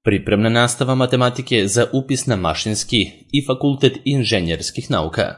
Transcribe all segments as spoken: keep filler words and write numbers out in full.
Pripremna nastava matematike za upis na mašinski i fakultet inženjerskih nauka.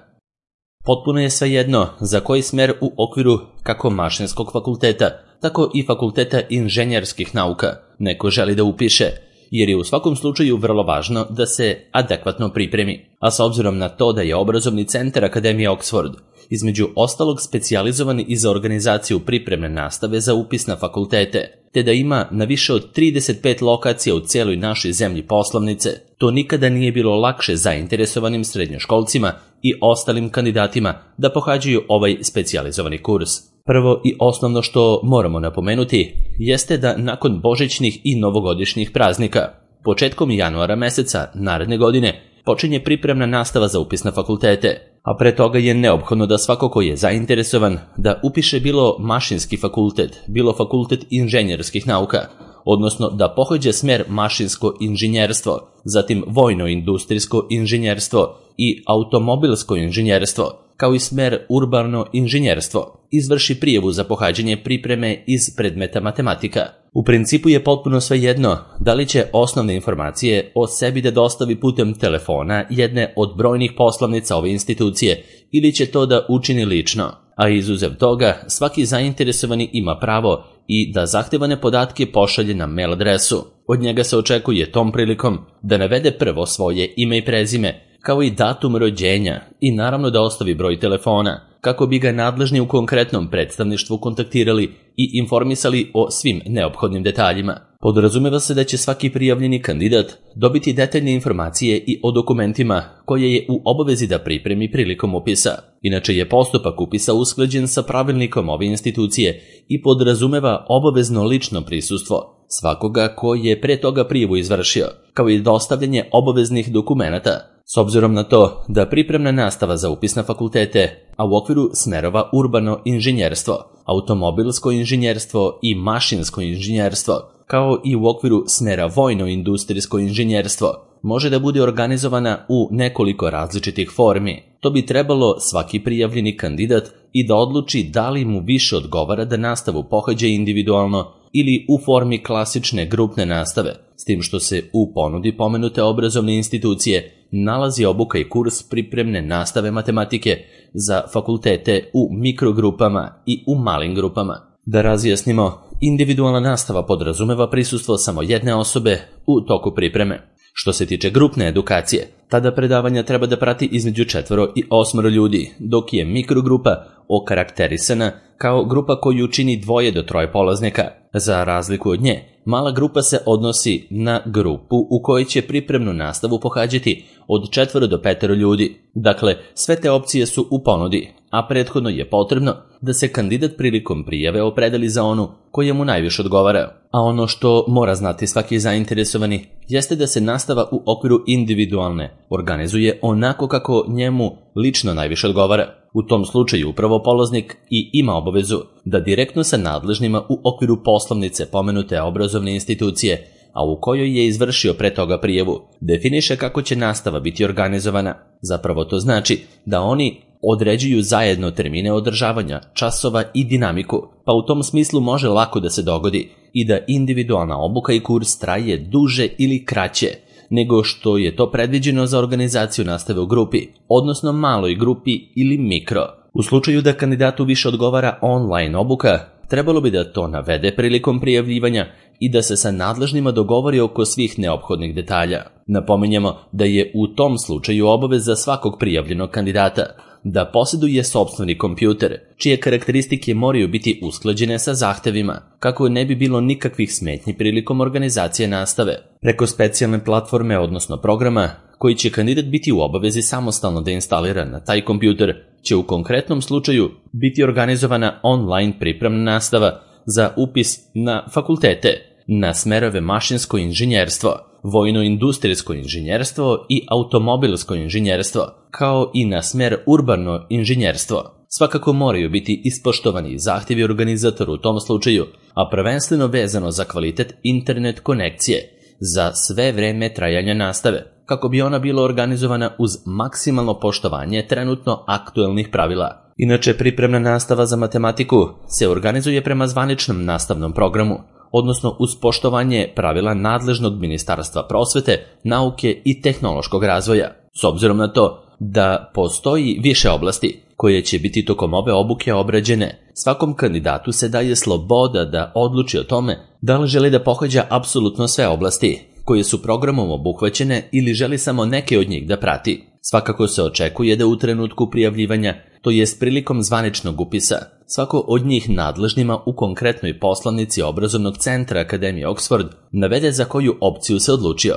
Potpuno je svejedno za koji smer u okviru kako mašinskog fakulteta, tako i fakulteta inženjerskih nauka neko želi da upiše, jer je u svakom slučaju vrlo važno da se adekvatno pripremi, a s obzirom na to da je obrazovni centar Akademije Oxford između ostalog specijalizovan i za organizaciju pripremne nastave za upis na fakultete, te da ima na više od trideset pet lokacija u cijeloj našoj zemlji poslovnice, to nikada nije bilo lakše zainteresovanim srednjoškolcima i ostalim kandidatima da pohađaju ovaj specijalizovani kurs. Prvo i osnovno što moramo napomenuti jeste da nakon božićnih i novogodišnjih praznika, početkom januara meseca naredne godine, počinje pripremna nastava za upis na fakultete, a pre toga je neophodno da svako ko je zainteresovan da upiše bilo mašinski fakultet, bilo fakultet inženjerskih nauka, odnosno da pohađa smer mašinsko inženjerstvo, zatim vojno-industrijsko inženjerstvo i automobilsko inženjerstvo, kao i smer urbano inženjerstvo, izvrši prijavu za pohađanje pripreme iz predmeta matematika. U principu je potpuno svejedno da li će osnovne informacije o sebi da dostavi putem telefona jedne od brojnih poslovnica ove institucije ili će to da učini lično, a izuzev toga svaki zainteresovani ima pravo i da zahtevane podatke pošalje na mail adresu. Od njega se očekuje tom prilikom da navede prvo svoje ime i prezime, kao i datum rođenja i naravno da ostavi broj telefona, kako bi ga nadležni u konkretnom predstavništvu kontaktirali i informisali o svim neophodnim detaljima. Podrazumeva se da će svaki prijavljeni kandidat dobiti detaljne informacije i o dokumentima koje je u obavezi da pripremi prilikom upisa. Inače je postupak upisa usklađen sa pravilnikom ove institucije i podrazumeva obavezno lično prisustvo svakoga ko je pre toga prijavu izvršio, kao i dostavljanje obaveznih dokumenata. S obzirom na to da pripremna nastava za upis na fakultete, a u okviru smerova urbano inženjerstvo, automobilsko inženjerstvo i mašinsko inženjerstvo, kao i u okviru smera vojno-industrijsko inženjerstvo, može da bude organizovana u nekoliko različitih formi. To bi trebalo svaki prijavljeni kandidat i da odluči da li mu više odgovara da nastavu pohađa individualno ili u formi klasične grupne nastave, s tim što se u ponudi pomenute obrazovne institucije nalazi obuka i kurs pripremne nastave matematike za fakultete u mikrogrupama i u malim grupama. Da razjasnimo, individualna nastava podrazumeva prisustvo samo jedne osobe u toku pripreme. Što se tiče grupne edukacije, tada predavanja treba da prati između četvoro i osmoro ljudi, dok je mikrogrupa okarakterisana kao grupa koju čini dvoje do troje polaznika. Za razliku od nje, mala grupa se odnosi na grupu u kojoj će pripremnu nastavu pohađati od četvoro do petero ljudi. Dakle, sve te opcije su u ponudi, a prethodno je potrebno da se kandidat prilikom prijave opredeli za onu koja mu najviše odgovara. A ono što mora znati svaki zainteresovani jeste da se nastava u okviru individualne organizuje onako kako njemu lično najviše odgovara. U tom slučaju upravo polaznik i ima obavezu da direktno sa nadležnima u okviru poslovnice pomenute obrazovne institucije, a u kojoj je izvršio pre toga prijavu, definiše kako će nastava biti organizovana. Zapravo to znači da oni određuju zajedno termine održavanja, časova i dinamiku, pa u tom smislu može lako da se dogodi i da individualna obuka i kurs traje duže ili kraće nego što je to predviđeno za organizaciju nastave u grupi, odnosno maloj grupi ili mikro. U slučaju da kandidatu više odgovara online obuka, trebalo bi da to navede prilikom prijavljivanja i da se sa nadležnima dogovori oko svih neophodnih detalja. Napominjemo da je u tom slučaju obaveza svakog prijavljenog kandidata da posjeduje sopstveni kompjuter, čije karakteristike moraju biti usklađene sa zahtevima, kako ne bi bilo nikakvih smetnji prilikom organizacije nastave. Preko specijalne platforme, odnosno programa, koji će kandidat biti u obavezi samostalno da instalira na taj kompjuter, će u konkretnom slučaju biti organizovana online pripremna nastava za upis na fakultete, na smerove mašinsko inženjerstvo, vojno-industrijsko inženjerstvo i automobilsko inženjerstvo, kao i na smer urbano inženjerstvo. Svakako moraju biti ispoštovani zahtjevi organizatora u tom slučaju, a prvenstveno vezano za kvalitet internet konekcije za sve vreme trajanja nastave, kako bi ona bila organizovana uz maksimalno poštovanje trenutno aktuelnih pravila. Inače, pripremna nastava za matematiku se organizuje prema zvaničnom nastavnom programu, odnosno uz poštovanje pravila nadležnog Ministarstva prosvete, nauke i tehnološkog razvoja. S obzirom na to da postoji više oblasti koje će biti tokom ove obuke obrađene, svakom kandidatu se daje sloboda da odluči o tome da li želi da pohađa apsolutno sve oblasti koje su programom obuhvaćene ili želi samo neke od njih da prati. Svakako se očekuje da u trenutku prijavljivanja, to jest prilikom zvaničnog upisa, svako od njih nadležnima u konkretnoj poslanici obrazovnog centra Akademije Oxford navede za koju opciju se odlučio.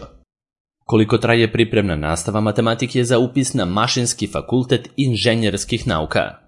Koliko traje pripremna nastava matematike za upis na Mašinski fakultet inženjerskih nauka?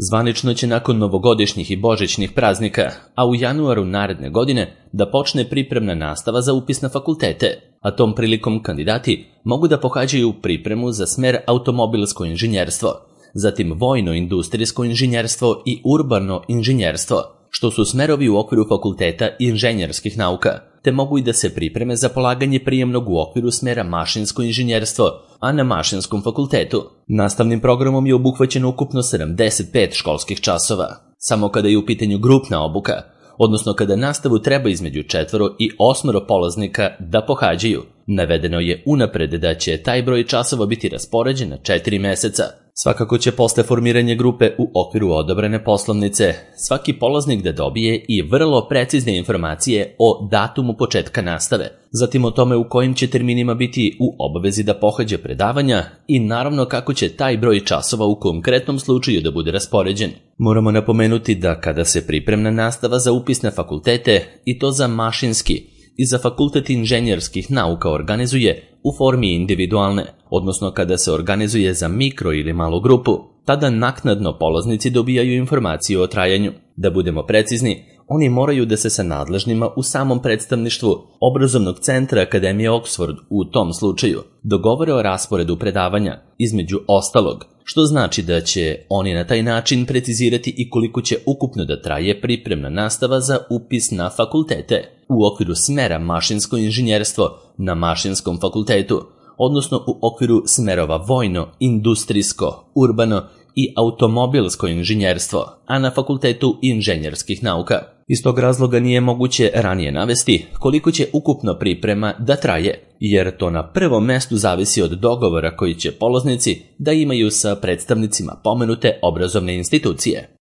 Zvanično će nakon novogodišnjih i božićnih praznika, a u januaru naredne godine, da počne pripremna nastava za upis na fakultete, a tom prilikom kandidati mogu da pohađaju pripremu za smer automobilsko inženjerstvo, zatim vojno-industrijsko inženjerstvo i urbano inženjerstvo, što su smerovi u okviru fakulteta inženjerskih nauka, te mogu i da se pripreme za polaganje prijemnog u okviru smera mašinsko inženjerstvo, a na Mašinskom fakultetu. Nastavnim programom je obuhvaćeno ukupno sedamdeset pet školskih časova. Samo kada je u pitanju grupna obuka, odnosno kada nastavu treba između četvoro i osmoro polaznika da pohađaju, navedeno je unapred da će taj broj časova biti raspoređen na četiri meseca. Svakako će posle formiranja grupe u okviru odobrene poslovnice svaki polaznik da dobije i vrlo precizne informacije o datumu početka nastave, zatim o tome u kojim će terminima biti u obavezi da pohađa predavanja i naravno kako će taj broj časova u konkretnom slučaju da bude raspoređen. Moramo napomenuti da kada se pripremna nastava za upis na fakultete, i to za mašinski i za fakultet inženjerskih nauka, organizuje u formi individualne, odnosno kada se organizuje za mikro ili malu grupu, tada naknadno polaznici dobijaju informaciju o trajanju. Da budemo precizni, oni moraju da se sa nadležnima u samom predstavništvu obrazovnog centra Akademije Oxford u tom slučaju dogovore o rasporedu predavanja, između ostalog, što znači da će oni na taj način precizirati i koliko će ukupno da traje pripremna nastava za upis na fakultete u okviru smera mašinsko inženjerstvo na Mašinskom fakultetu, odnosno u okviru smerova vojno, industrijsko, urbano i automobilsko inženjerstvo, a na Fakultetu inženjerskih nauka. Iz tog razloga nije moguće ranije navesti koliko će ukupno priprema da traje, jer to na prvom mestu zavisi od dogovora koji će polaznici da imaju sa predstavnicima pomenute obrazovne institucije.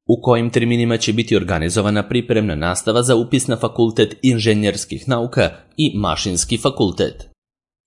U kojim terminima će biti organizovana pripremna nastava za upis na Fakultet inženjerskih nauka i Mašinski fakultet?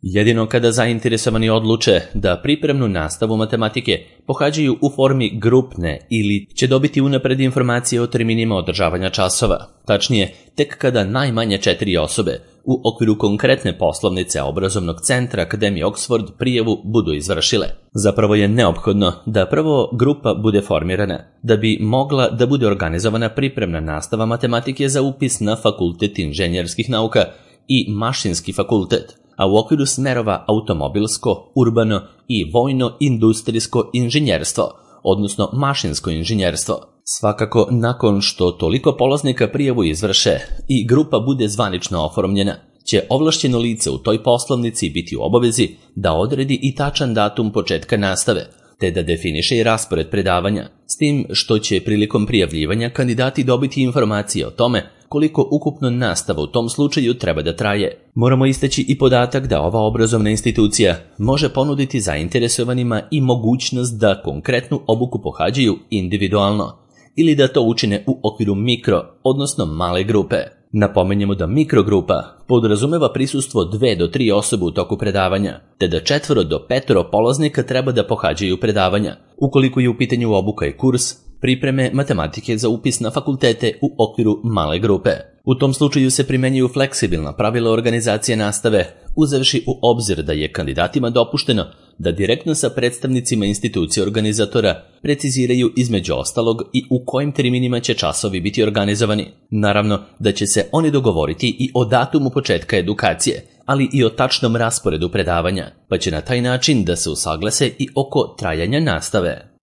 Jedino kada zainteresovani odluče da pripremnu nastavu matematike pohađaju u formi grupne ili će dobiti unapred informacije o terminima održavanja časova, tačnije tek kada najmanje četiri osobe u okviru konkretne poslovnice obrazovnog centra Akademije Oxford prijavu budu izvršile. Zapravo je neophodno da prvo grupa bude formirana, da bi mogla da bude organizovana pripremna nastava matematike za upis na Fakultet inženjerskih nauka i Mašinski fakultet, a u okviru smerova automobilsko, urbano i vojno-industrijsko inženjerstvo, odnosno mašinsko inženjerstvo. Svakako, nakon što toliko polaznika prijavu izvrše i grupa bude zvanično oformljena, će ovlašćeno lice u toj poslovnici biti u obavezi da odredi i tačan datum početka nastave, te da definiše i raspored predavanja, s tim što će prilikom prijavljivanja kandidati dobiti informacije o tome koliko ukupno nastava u tom slučaju treba da traje. Moramo istaći i podatak da ova obrazovna institucija može ponuditi zainteresovanima i mogućnost da konkretnu obuku pohađaju individualno ili da to učine u okviru mikro, odnosno male grupe. Napomenjemo da mikrogrupa podrazumeva prisustvo dve do tri osobe u toku predavanja, te da četvoro do petoro polaznika treba da pohađaju predavanja, ukoliko je u pitanju obuka i kurs pripreme matematike za upis na fakultete u okviru male grupe. U tom slučaju se primenjuju fleksibilna pravila organizacije nastave, uzevši u obzir da je kandidatima dopušteno da direktno sa predstavnicima institucije organizatora preciziraju između ostalog i u kojim terminima će časovi biti organizovani. Naravno da će se oni dogovoriti i o datumu početka edukacije, ali i o tačnom rasporedu predavanja, pa će na taj način da se usaglase i oko trajanja nastave.